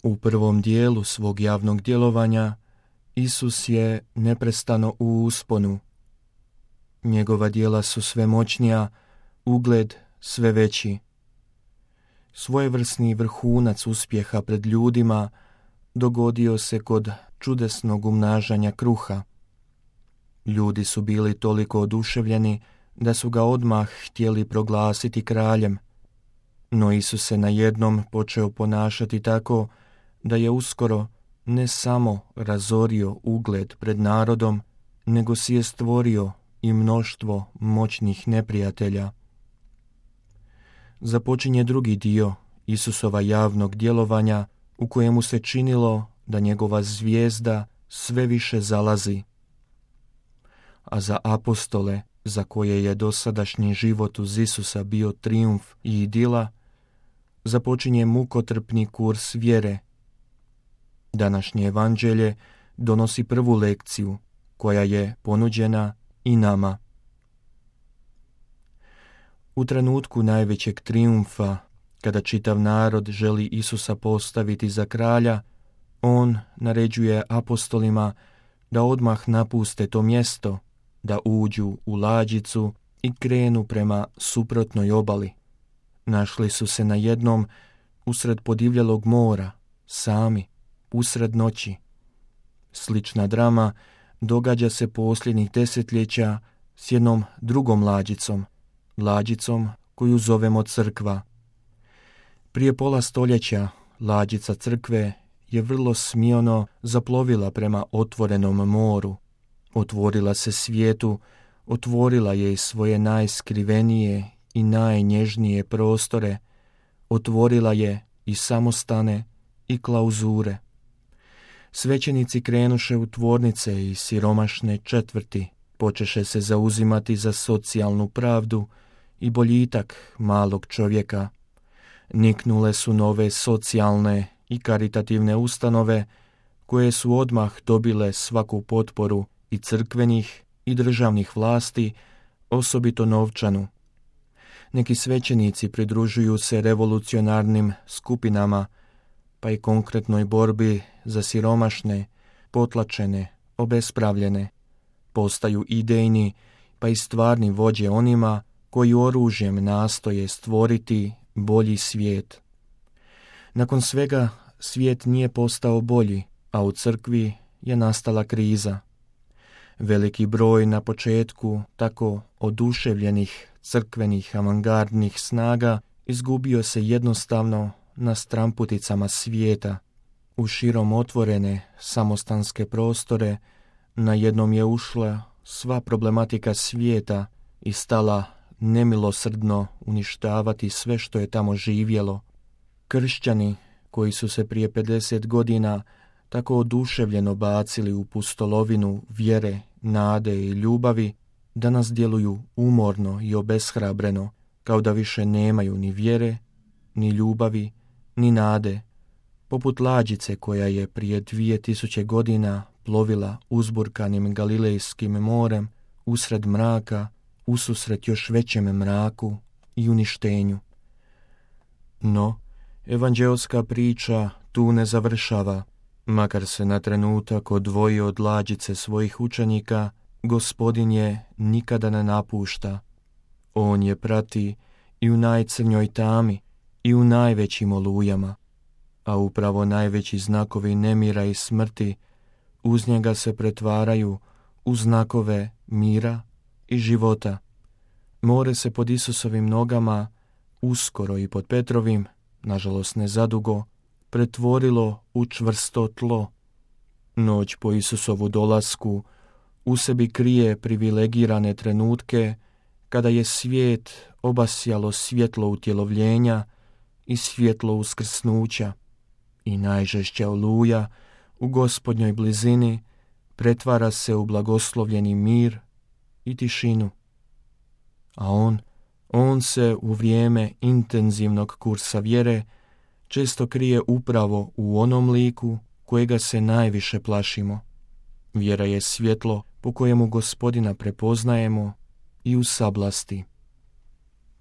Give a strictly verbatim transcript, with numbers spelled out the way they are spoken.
U prvom dijelu svog javnog djelovanja Isus je neprestano u usponu. Njegova djela su sve moćnija, ugled sve veći. Svojevrsni vrhunac uspjeha pred ljudima dogodio se kod čudesnog umnažanja kruha. Ljudi su bili toliko oduševljeni da su ga odmah htjeli proglasiti kraljem, no Isus se najednom počeo ponašati tako da je uskoro ne samo razorio ugled pred narodom, nego si je stvorio i mnoštvo moćnih neprijatelja. Započinje drugi dio Isusova javnog djelovanja u kojemu se činilo da njegova zvijezda sve više zalazi. A za apostole, za koje je dosadašnji život uz Isusa bio trijumf i idila, započinje mukotrpni kurs vjere. Današnje evanđelje donosi prvu lekciju koja je ponuđena i nama. U trenutku najvećeg trijumfa, kada čitav narod želi Isusa postaviti za kralja, on naređuje apostolima da odmah napuste to mjesto, da uđu u lađicu i krenu prema suprotnoj obali. Našli su se na jednom usred podivljelog mora, sami, usred noći. Slična drama događa se posljednjih desetljeća s jednom drugom lađicom, lađicom koju zovemo crkva. Prije pola stoljeća lađica crkve je vrlo smiono zaplovila prema otvorenom moru. Otvorila se svijetu, otvorila je i svoje najskrivenije i najnježnije prostore, otvorila je i samostane i klauzure. Svećenici krenuše u tvornice i siromašne četvrti, počeše se zauzimati za socijalnu pravdu i boljitak malog čovjeka. Niknule su nove socijalne i karitativne ustanove koje su odmah dobile svaku potporu i crkvenih i državnih vlasti, osobito novčanu. Neki svećenici pridružuju se revolucionarnim skupinama, pa i konkretnoj borbi za siromašne, potlačene, obespravljene. Postaju idejni, pa i stvarni vođe onima koji oružjem nastoje stvoriti bolji svijet. Nakon svega, svijet nije postao bolji, a u crkvi je nastala kriza. Veliki broj na početku tako oduševljenih crkvenih avangardnih snaga izgubio se jednostavno na stramputicama svijeta. U širom otvorene samostanske prostore najednom je ušla sva problematika svijeta i stala nemilosrdno uništavati sve što je tamo živjelo. Kršćani koji su se prije pedeset godina tako oduševljeno bacili u pustolovinu vjere, nade i ljubavi, danas djeluju umorno i obeshrabreno, kao da više nemaju ni vjere, ni ljubavi, ni nade, poput lađice koja je prije dvije tisuće godina plovila uzburkanim Galilejskim morem usred mraka, ususret još većem mraku i uništenju. No, evanđeoska priča tu ne završava. Makar se na trenutak odvojio od lađice svojih učenika, Gospodin je nikada ne napušta. On je prati i u najcrnjoj tami i u najvećim olujama, a upravo najveći znakovi nemira i smrti uz njega se pretvaraju u znakove mira i života. More se pod Isusovim nogama, uskoro i pod Petrovim, nažalost ne zadugo, pretvorilo u čvrsto tlo. Noć po Isusovu dolasku u sebi krije privilegirane trenutke kada je svijet obasjalo svjetlo utjelovljenja i svjetlo uskrsnuća i najžešća oluja u Gospodnjoj blizini pretvara se u blagoslovljeni mir i tišinu. A on, on se u vrijeme intenzivnog kursa vjere često krije upravo u onom liku kojega se najviše plašimo. Vjera je svjetlo po kojemu Gospodina prepoznajemo i u sablasti.